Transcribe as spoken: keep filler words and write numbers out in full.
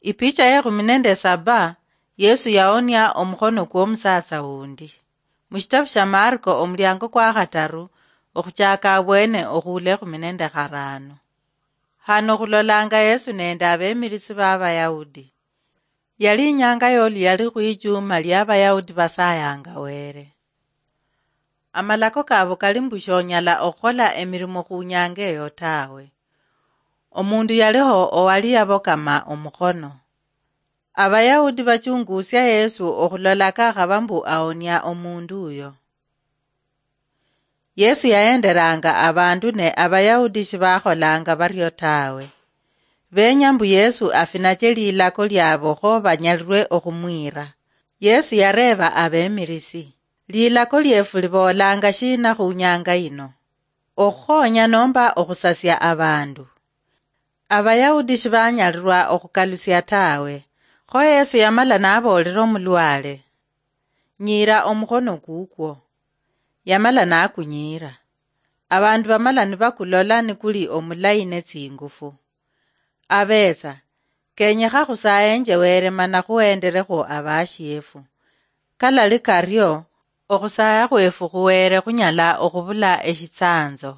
Ipicha yekhumi nende saba. Yesu yaonia omukhono kw'omusatsa wundi. Mushitabu sha Marko omuliango kwa khataru, okhuchaka abwene okhuula ekhumi nende kharano. Hano khulolanga Yesu nende abemirisi b'Abayahudi. Yali inyanga yoluyali khwichuma ly'Abayahudi basayanga Were. Amalako kabo kali mbu shonyala okhukhola emirimo khunyanga eyo tawe. Omundu yaliho owali yabokama omukhono. Abayahudi bachungusia Yesu okhulola kakhaba mbu aonia omundu uyo. Yesu yahenderanga abandu ne Abayahudi shibakholanga bario tawe. Benya mbu Yesu afinache lilako liabo kho banyalirwe okhumwira. Yesu yareba abemirisi, "Lilako liefu libolanga shina khunyanga yino? Okhukhonya nomba okhusasia abandu?" Abayahudi shibanyalirwa okhukalusia tawe. Kho Yesu yamala naboolera omulwale, "Nyiira omukhono kukwo." Yamala nakunyiira. Abandu bamala nibakulola nikuli omulayi netsingufu. Abetsa, kenyekha khusayenje Were mana khuhenderekhwo abashiefu. Kalali kario, okhusaya khwefu khuwere khunyala okhubula eshitsanzo.